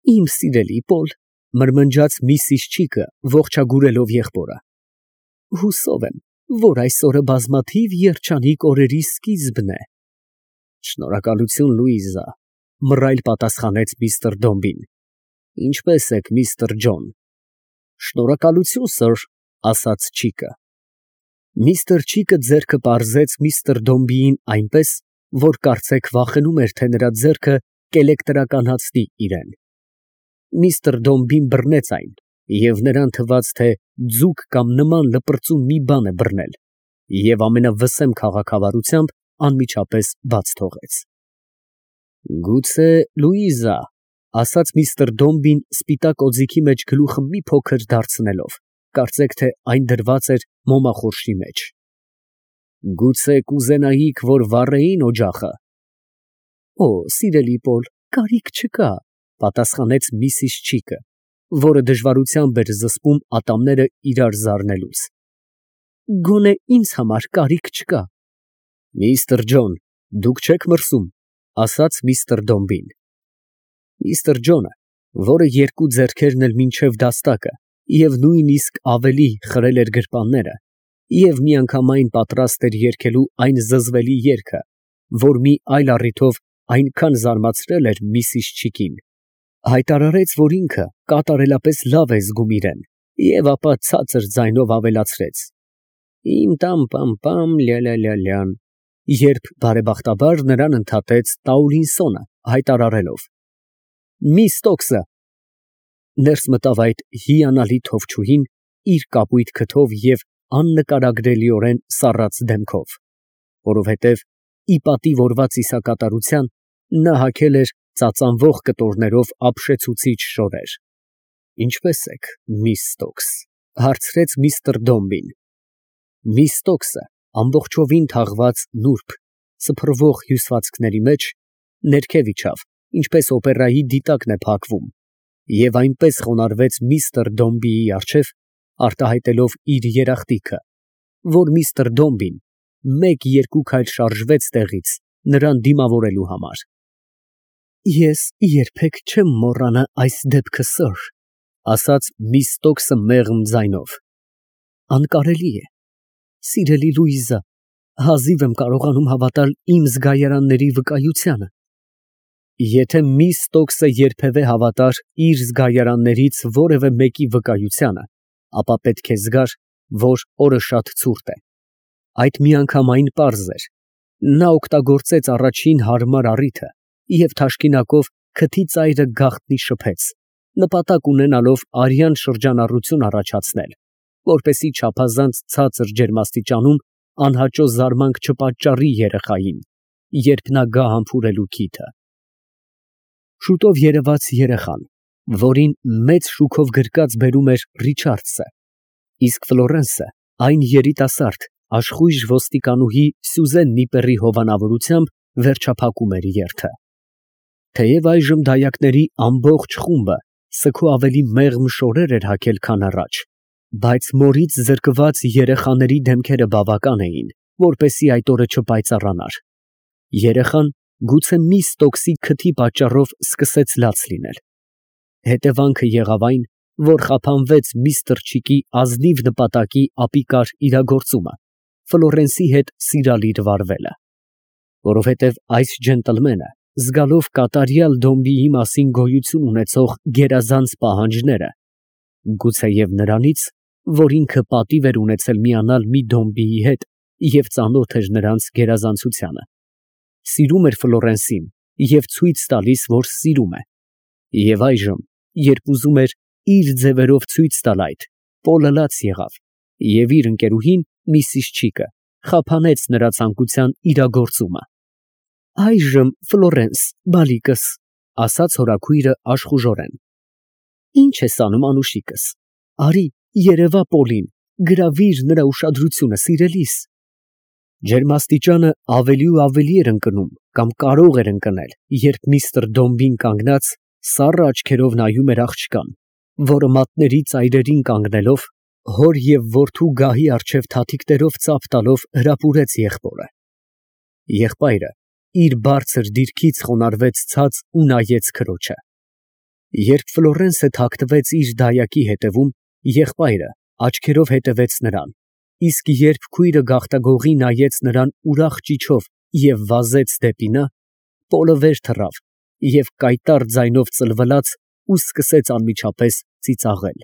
Իմ սիրելի Պոլ, մրմնջաց Միսիս Չիկը, ողջագուրելով եղբորը, հուսով եմ, որ այս օրը բազմաթիվ երջանիկ օրերի սկիզբն է։ Շնորհակալություն, Լուիզա, մռայլ պատասխանեց միստր Դոմբին։ Ինչպե՞ս եք, միստր Ջոն։ Շնորհակալություն, սըր, ասաց Չիկը։ Միստր Չիկը ձեռքը պարզեց միստր Դոմբիին այնպես, որ կարծեք վախենում էր, թե նրա ձեռքը կէլեկտրականացնի իրան։ Միստր Դոմբին բռնեց այն, և նրան թվաց, թե ձուկ կամ նման լպրծուն մի բան է բռնել, և ամենավսեմ քաղաքավարությամբ անմիջապես բաց թողեց։ Գուցե, Լուիզա, ասաց միստր Դոմբին սպիտակ օձիքի մեջ գլուխը մի փոքր դարձնելով, կարծեք, թե այն դրված էր մոմախորշի մեջ։ Գուցե կուզենայիք, որ վառեին օջախը։ Օ, սիրելի Պոլ, կարիք չկա, պատասխանեց Միսիս Չիկը, որը դժվարությամբ էր զսպում ատամները իրար զարնելուց։ Գոնե ինձ համար կարիք չկա։ Միստր Ջոն, դուք չեք մրսում, ասաց միստր Դոմբին։ Միստր Ջոնը, որը երկու ձեռքերն էլ մինչև դաստակը և նույնիսկ ավելի խրել էր գրպանները, և միանգամայն պատրաստ էր երգելու այն զզվելի երգը, որ մի այլ առիթով այնքան զարմացրել էր Միսիս Չիկին, հայտարարեց, որ ինքը կատարելապես լավ է զգում իրան, և ապա ցածր ձայնով ավելացրեց. Իմ տամ-պամ-պամ, լյա-լյա-լյա-լյան, երբ բարեբախտաբար նրան ընդհատեց Տաուրինսոնը, հայտարարելով. Մի Ստոքսը։ Ներս մտավ այդ հիանալի թովչուհին իր կապույտ քթով և աննկարագրելիորեն սառած դեմքով, որովհետև ի պատիվ օրվա ծիսակատարության նա հագել էր ծածանվող կտորներով ապշեցուցիչ շորեր։ Ինչպե՞ս եք, միս Ստոքս, հարցրեց միստր Դոմբին։ Միս Ստոքսը ամբողջովին թաղված նուրբ, սփռվող հյուսվածքների մեջ ներքև իջավ, ինչպես օպերայի դիտակն է փակվում, և այնպես խոնարհվեց միստր Դոմբիի առջև, արտահայտելով իր երախտիկը, որ միստր Դոմբին մեկ-երկու քայլ շարժվեց տեղից նրան դիմավորելու համար։ Ես երբեք չեմ մոռանա այս դեպքը, սըր, ասաց միս Ստոքսը մեղմ ձայնով։ Անկարելի է, սիրելի Լուիզա, հազիվ եմ կարողանում հավատալ իմ զգայարանների վկայությանը։ Եթե միս Ստոքսը երբևէ հավատար իր զգայարաններից որևէ մեկի վկայությանը, ապա պետք է զգար, որ օրը շատ ցուրտ է։ Այդ միանգամայն պարզ էր. նա օգտագործեց առաջին հարմար առիթը և թաշկինակով քթի ծայրը գաղտնի շփեց, նպատակ ունենալով արյան շրջանառություն առաջացնել, որպեսզի չափազանց ցածր ջերմաստիճանում անհաճո զարմանք չպատճառի երեխային, երբ նա գա համբուրելու քիթը։ Շուտով երևաց երեխան, որին մեծ շուքով գրկած բերում էր Ռիչարդսը, իսկ Ֆլորենսը այն երիտասարդ, աշխույժ ոստիկանուհի Սյուզեն Նիպերի հովանավորությամբ վերջափակում էր երթը։ Թեև այժմ դայակների ամբողջ խումբը սգո ավելի մեղմ շորեր էր հագել, քան առաջ, բայց մորից զրկված երեխաների դեմքերը բավական էին, որպեսզի այդ օրը չպայծառանար։ Երեխան գուցե միս Ստոքսի քթի պատճառով սկսեց լաց լինել։ Հետևանքը եղավ այն, որ խափանվեց միստր Չիկի ազնիվ նպատակի ապիկար իրագործումը, Ֆլորենսի հետ սիրալիր վարվելը։ Որովհետև այս ջենտլմենը, զգալով կատարյալ Դոմբիի մասին գոյություն ունեցող գերազանց պահանջները, գուցեև նրանից, որ ինքը պատիվ էր ունեցել միանալ մի Դոմբիի հետ և ծանոթ էր նրանց գերազանցությանը, սիրում էր Ֆլորենսին և ցույց տալիս, որ սիրում է, և այժմ, երբ ուզում էր իր ձևերով ցույց տալ այդ, Պոլը լաց եղավ, և իր ընկերուհին, Միսիս Չիկը, խափանեց նրա ցանկության իրագործումը։ Այժմ, Ֆլորենս, բալիկս, ասաց հորաքույրը աշխուժորեն, ի՞նչ ես անում, անուշիկս, արի, երևա Պոլին, գրավիր նրա ուշադրությունը, սիրելիս։ Ջերմաստիճանը ավելի ու ավելի էր ընկնում կամ կարող էր ընկնել, երբ միստր Դոմբին կանգնած, սառը աչքերով նայում էր աղջկան, որը մատների ծայրերին կանգնելով, հոր և որդու գահի առջև թաթիկներով ծափ տալով հրապուրեց եղբորը։ Եղբայրը իր բարձր դիրքից խոնարհվեց ցած ու նայեց քրոջը։ Երբ Ֆլորենսը թաքնվեց իր դայակի հետևում, եղբայրը աչքերով հետևեց նրան, իսկ երբ քույրը գաղտագողի նայեց նրան ուրախ ճիչով և վազեց դեպի նա, Պոլը վեր թռավ և կայտառ ձայնով ծլվլաց ու սկսեց անմիջապես ծիծաղել.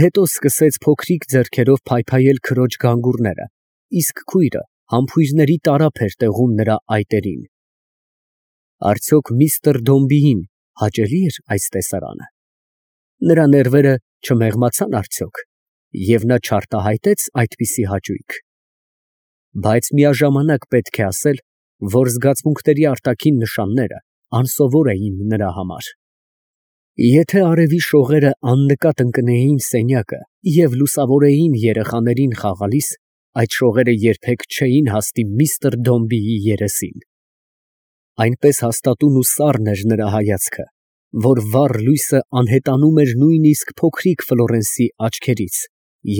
հետո սկսեց փոքրիկ ձեռքերով փայփայել քրոջ գանգուրները, իսկ քույրը համբույրների տարափ էր տեղում նրա այտերին։ Արդյոք միստր Դոմբիին հաճելի էր այս տեսարանը։ Նրա ներվերը չմեղմացան արդյոք, և նա չարտահայտեց այդպիսի հաճույք։ Բայց միաժամանակ պետք է ասել, որ զգացմունքների արտաքին նշանները անսովոր էին նրա համար։ Եթե արևի շողերը աննկատ ընկնեին սենյակը և լուսավորեին երեխաներին խաղալիս, այդ շողերը երբեք չէին հասնի միստր Դոմբիի երեսին։ Այնպես հաստատուն ու սառն էր նրա հայացքը, որ վառ լույսը անհետանում էր նույնիսկ փոքրիկ Ֆլորենսի աչքերից,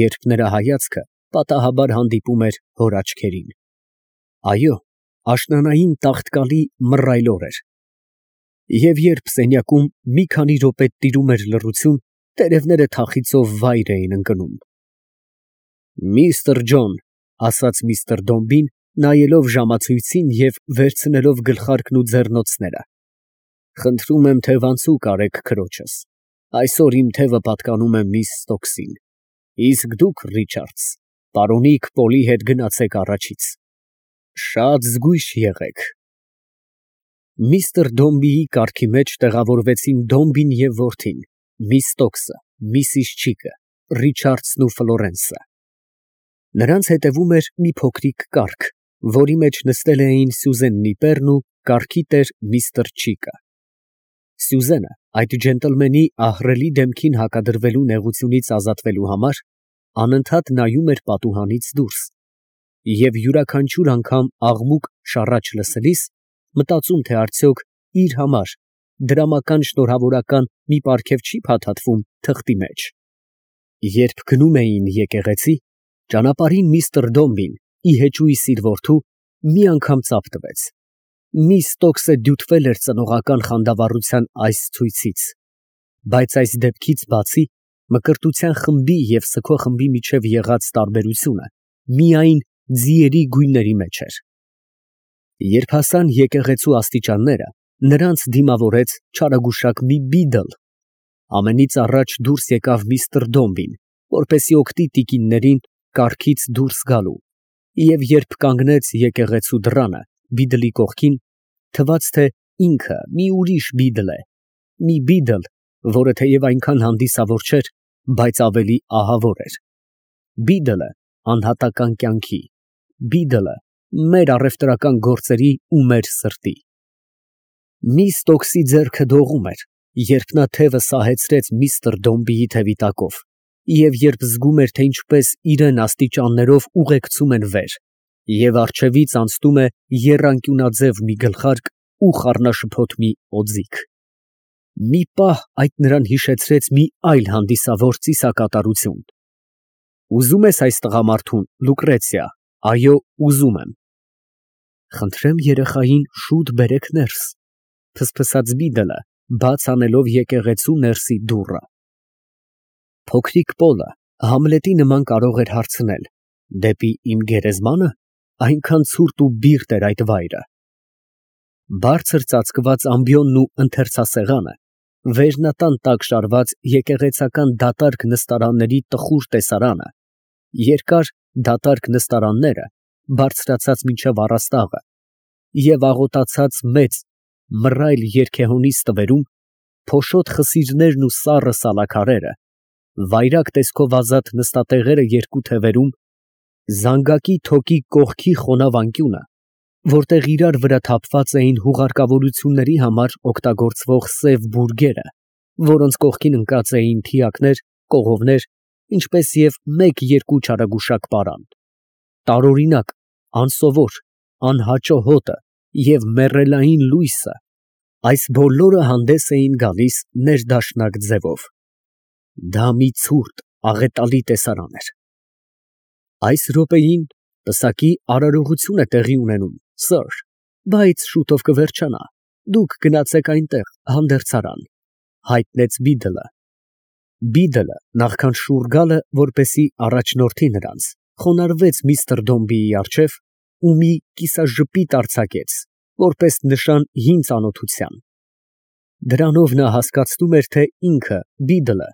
երբ նրա հայացքը պատահաբար հանդիպում էր հոր աչքերին։ Այո, աշնանային տաղտկալի մռայլ օր էր։ Եվ երբ սենյակում մի քանի րոպե տիրում էր լռություն, տերևները թախիծով վայր էին ընկնում։ «Միստր Ջոն», ֊ ասաց միստր Դոմբին, նայելով ժամացույցին և վերցնելով գլխարկն ու ձեռնոցները, ֊ խնդրում եմ թևանցուկ արեք քրոջս. այսօր իմ թևը պատկանում է միս Ստոքսին, իսկ դուք, Ռիչարդս, պարոնիկ Պոլի հետ գնացեք առաջից. շատ զգույշ եղեք։ Միստր Դոմբիի կառքի մեջ տեղավորվեցին Դոմբին և որդին, միս Ստոքսը, միսիս Չիկը, Ռիչարդսն ու Ֆլորենսը։ Նրանց հետևում էր մի փոքրիկ կառք, որի մեջ նստել էին Սյուզեն Նիպերն ու կառքի տեր միստր Չիկը։ Սյուզենը այդ ջենտլմենի ահռելի դեմքին հակադրվելու նեղությունից ազատվելու համար անընդհատ նայում էր պատուհանից դուրս և յուրաքանչյուր անգամ աղմուկ շառաչ լսելիս մտածում, թե արդյոք իր համար դրամական շնորհավորական մի պարգև չի փաթաթվում թղթի մեջ։ Երբ գնում էին եկեղեցի, ճանապարհին միստր Դոմբին, ի հեճույս իր որդու, մի անգամ ծափ տվեց։ Միս Ստոքսը դյութվել էր ծնողական խանդավառության այս ցույցից, բայց այս դեպքից բացի մկրտության խմբի և սգո խմբի միջև եղած տարբերությունը միայն ձիերի գույների մեջ էր։ Երբ հասան եկեղեցու աստիճանները, նրանց դիմավորեց չարագուշակ մի բիդլ։ Ամենից առաջ դուրս եկավ միստր Դոմբին, որպեսզի օգնի տիկիններին կառքից դուրս գալու, և երբ կանգնեց եկեղեցու դռանը բիդլի կողքին, թվաց, թե ինքը մի ուրիշ բիդլ է, մի բիդլ, որը թեև այնքան հանդիսավոր չէր, բայց ավելի ահավոր էր։ Բիդլը անհատական կյանքի, բիդլը մեր առևտրական գործերի ու մեր սրտի։ Միս Ստոքսի ձեռքը դողում էր, երբ նա թևը սահեցրեց միստր Դոմբիի թևի տակով, և երբ զգում էր, թե ինչպես իրան աստիճաններով ուղեկցում են վեր, և առջևից անցնում է եռանկյունաձև մի գլխարկ ու խառնաշփոթ մի օձիք։ Մի պահ այդ նրան հիշեցրեց մի այլ հանդիսավոր ծիսակատարություն։ Ուզո՞ւմ ես այս տղամարդուն, Լուկրեցիա։ Այո, ուզում եմ։ Խնդրեմ երեխային շուտ բերեք ներս, ֆսֆսաց բիդլը, բաց անելով եկեղեցու ներսի դուռը։ Փոքրիկ Պոլը Համլետի նման կարող էր հարցնել. դեպի իմ գերեզմա՞նը, այնքան ցուրտ ու բիրտ էր այդ վայրը։ Բարձր ծածկված ամբիոնն ու ընթերցասեղանը, վերնատան տակ շարված եկեղեցական դատարկ նստարանների տխուր տեսարանը, երկար դատարկ նստարանները, բարձրացած մինչև առաստաղը, և աղոտացած մեծ մռայլ երգեհոնի ստվերում, փոշոտ խսիրներն ու սառը սալաքարերը, վայրագ տեսքով ազատ նստատեղերը երկու թևերում, զանգակի թոկի կողքի խոնավ անկյունը, որտեղ իրար վրա թափված էին հուղարկավորությունների համար օգտագործվող սև բուրգերը, որոնց կողքին ընկած էին թիակներ, կողովներ, ինչպես և մեկ֊երկու չարագուշակ պարան, տարօրինակ, անսովոր, անհաճո հոտը և մեռելային լույսը, այս բոլորը հանդես էին գալիս ներդաշնակ ձևով։ Դա մի ցուրտ, աղետալի տեսարան էր։ Այս րոպեին պսակի արարողություն է տեղի ունենում, սըր, բայց շուտով կվերջանա, դուք գնացեք այնտեղ, հանդերձարան։ հայտնեց Բիդլը։ Բիդլը, նախքան շուռ գալը, որպեսի առաջնորդի նրանց, խոնարհվեց միստր Դոմբիի առջև ու մի կիսաժպիտ արձակեց, որպես նշան հին ծանոթության։ Դրանով նա հասկացնում էր, թե ինքը, Բիդլը,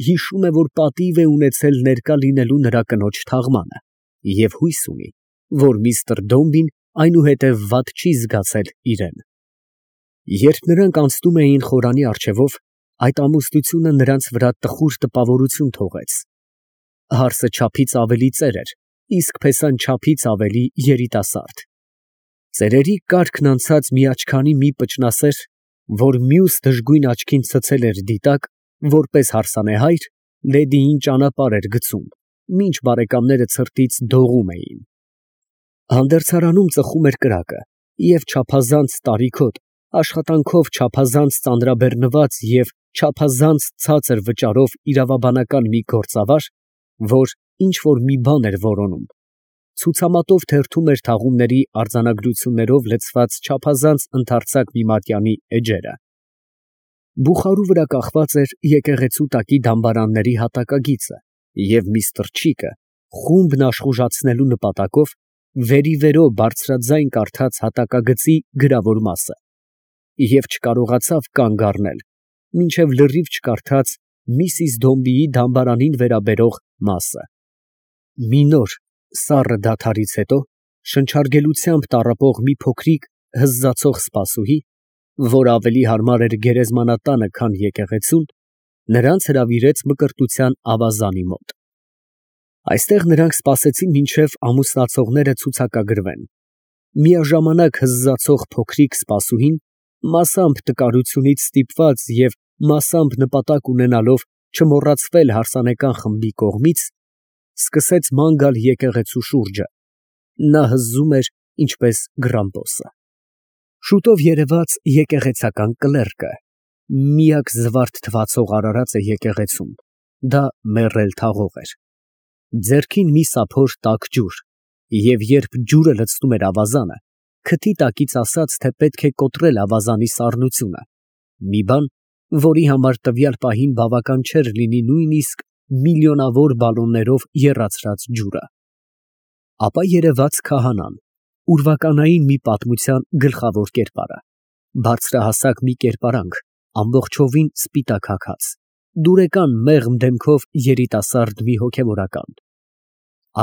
հիշում է, որ պատիվ է ունեցել ներկա լինելու նրա կնոջ թաղմանը և հույս ունի, որ միստր Դոմբին այնուհետև վատ չի զգացել իրեն։ Երբ նրանք անցնում էին խորանի առջևով, այդ ամուսնությունը նրանց վրա տխուր տպավորություն թողեց։ Հարսը չափից ավելի ծեր էր, իսկ փեսան չափից ավելի երիտասարդ։ Ծերերի կարգն անցած մի աչքանի մի պճնասեր, որ մյուս դժգույն աչքին ցցել էր դիտակ, որպես հարսանեհայր, լեդիին ճանապարհ էր գցում, մինչ բարեկամները ցրտից դողում էին։ Հանդերձարանում ծխում էր կրակը, և չափազանց տարիքոտ, աշխատանքով չափազանց ծանրաբեռնված և չափազանց ցածր վճարով իրավաբանական մի գործավար, որ ինչ֊որ մի բան էր որոնում, ցուցամատով թերթում էր թաղումների արձանագրություններով լցված չափազանց ընդարձակ մի մատյանի էջերը։ Բուխարու վրա կախված էր եկեղեցու տակի դամբարանների հատակագիծը, և միստր Չիկը, խումբն աշխուժացնելու նպատակով, վերի բարձրաձայն կարդաց հատակագծի գրավոր մասը և չկարողացավ կանգ առնել, մինչև լրիվ չկարդաց Միսիս Դոմբիի դամբարանին վերաբերող մասը։ Մի նոր, սառը դադարից հետո, շնչարգելությամբ տառապող մի փոքրիկ հզձացող սպասուհի, որ ավելի հարմար էր գերեզմանատանը, քան եկեղեցուն, նրանց հրավիրեց մկրտության ավազանի մոտ։ Այստեղ նրանք սպասեցին, մինչև ամուսնացողները ցուցակագրվեն։ Միաժամանակ հզձացող փոքրիկ սպասուհին, մասամբ տկարությունից ստիպված և մասամբ նպատակ ունենալով չմոռացվել հարսանեկան խմբի կողմից, սկսեց ման գալ եկեղեցու շուրջը. նա հզում էր ինչպես գրամպոսը։ Շուտով երևաց եկեղեցական կլերկը, միակ զվարթ թվացող արարածը եկեղեցում, դա մեռել թաղող էր։ Ձեռքին մի սափոր տաք ջուր, և երբ ջուրը լցնում էր ավազանը, քթի տակից ասաց, թե պետք է կոտրել ավազանի սառնությունը, մի բան, որի համար տվյալ պահին բավական չէր լինի նույնիսկ միլիոնավոր բալոններով եռացրած ջուրը։ Ապա երևաց քահանան, ուրվականային մի պատմության գլխավոր կերպարը, բարձրահասակ մի կերպարանք, ամբողջովին սպիտակ հագած, դուրեկան մեղմ դեմքով երիտասարդ մի հոգևորական։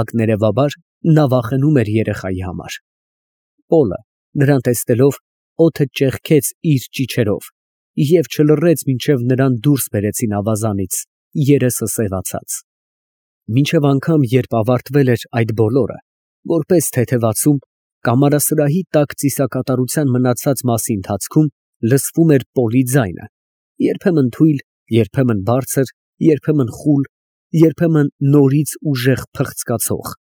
Ակներևաբար նա վախենում էր երեխայի համար։ Պոլը, նրան տեսնելով, օդը ճեղքեց իր ճիչերով և չլռեց, մինչև նրան դուրս բերեցին ավազանից, երեսը սևացած։ Մինչև անգամ, երբ ավարտվել էր այդ բոլորը, որպես թեթևացում, կամարասրահի տակ ծիսակատարության մնացած մասի ընթացքում լսվում էր Պոլի ձայնը, երբեմն թույլ, երբեմն բարձր, երբեմն խուլ, երբեմն նորից ուժեղ փղծկացող,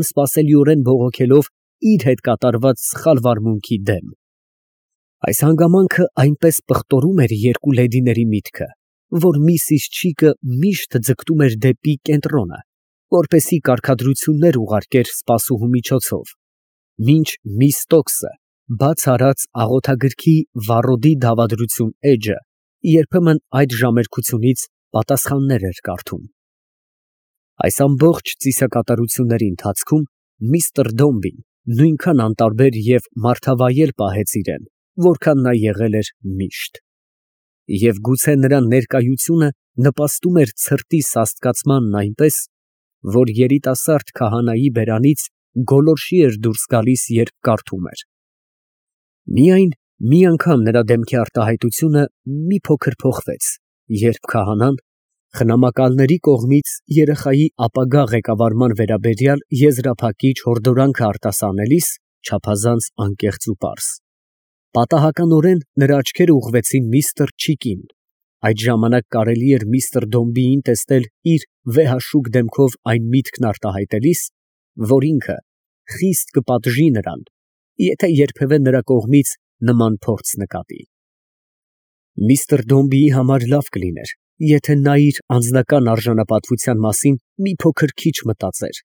անսպասելիորեն բողոքելով իր հետ կատարված սխալ վարմունքի դեմ։ Այս հանգամանքը այնպես պղտորում էր երկու լեդիների միտքը, որ միսիս Չիկը միշտ ձգտում էր դեպի կենտրոնը, որպեսզի կարգադրություններ ուղարկեր սպասուհու միջոցով, մինչ միս Ստոքսը բաց արած աղոթագրքի վառոդի դավադրություն էջը երբեմն այդ ժամերկությունից պատասխաններ էր կարդում։ Այս ամբողջ ծիսակատարությունների ընթացքում միստր Դոմբին նույնքան անտարբեր և մարդավայել պահեց իրեն, որքան նա եղել էր միշտ։ Եվ գուցե նրա ներկայությունը նպաստում էր ցրտի սաստկացմանն այնպես, որ երիտասարդ քահանայի բերանից գոլորշի էր դուրս գալիս, երբ կարդում էր։ Միայն մի անգամ նրա դեմքի արտահայտությունը մի փոքր փոխվեց, երբ քահանան, խնամակալների կողմից երեխայի ապագա ղեկավարման վերաբերյալ եզրափակիչ հորդորանքը արտասանելիս, չափազանց անկեղծ ու պարզ, պատահականորեն նրա աչքերը ուղղվեցին միստր Չիկին։ Այդ ժամանակ կարելի էր միստր Դոմբիին տեսնել իր վեհաշուկ դեմքով այն միտքն արտահայտելիս, որ ինքը խիստ կպատժի նրան, եթե երբևէ նրա կողմից նման փորձ նկատի։ Միստր Դոմբիի համար լավ կլիներ, եթե նա իր անձնական արժանապատվության մասին մի փոքր քիչ մտածեր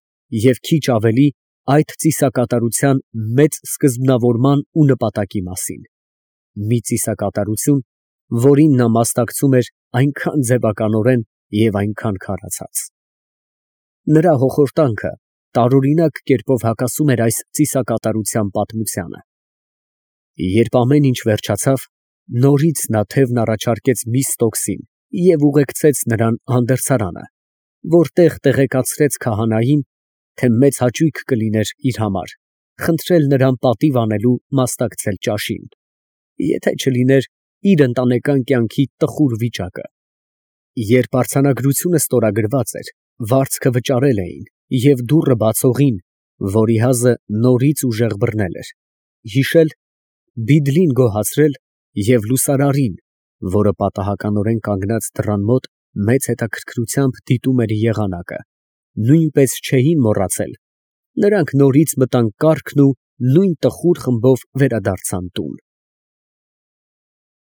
և քիչ ավելի այդ ծիսակատարության մեծ սկզբնավորման ու նպատակի մասին։ Մի ծիսակատարություն, որին նա մասնակցում էր այնքան ձևականորեն և այնքան քարացած։ Նրա հոխորտանքը տարօրինակ կերպով հակասում էր այս ծիսակատարության պատմությանը։ Երբ ամեն ինչ վերջացավ, նորից նա թևն առաջարկեց Միսթոքսին և ուղեկցեց նրան հանդերձարանը, որտեղ տեղեկացրեց քահանային, թե մեծ հաճույք կլիներ իր համար խնդրել նրան պատիվ անելու մասնակցել ճաշին, եթե չլիներ իր ընտանեկան կյանքի տխուր վիճակը։ Երբ արձանագրությունը ստորագրված էր, վարձքը վճարել էին և դուռը բացողին, որի հազը նորից ուժեղ բռնել էր, հիշել, բիդլին գոհացրել և լուսարարին, որը պատահականորեն կանգնած դռան մոտ մեծ հետաքրքրությամբ դիտում էր եղանակը, նույնպես չէին մոռացել, նրանք նորից մտան կառքն ու նույն տխուր խմբով վերադարձան տուն։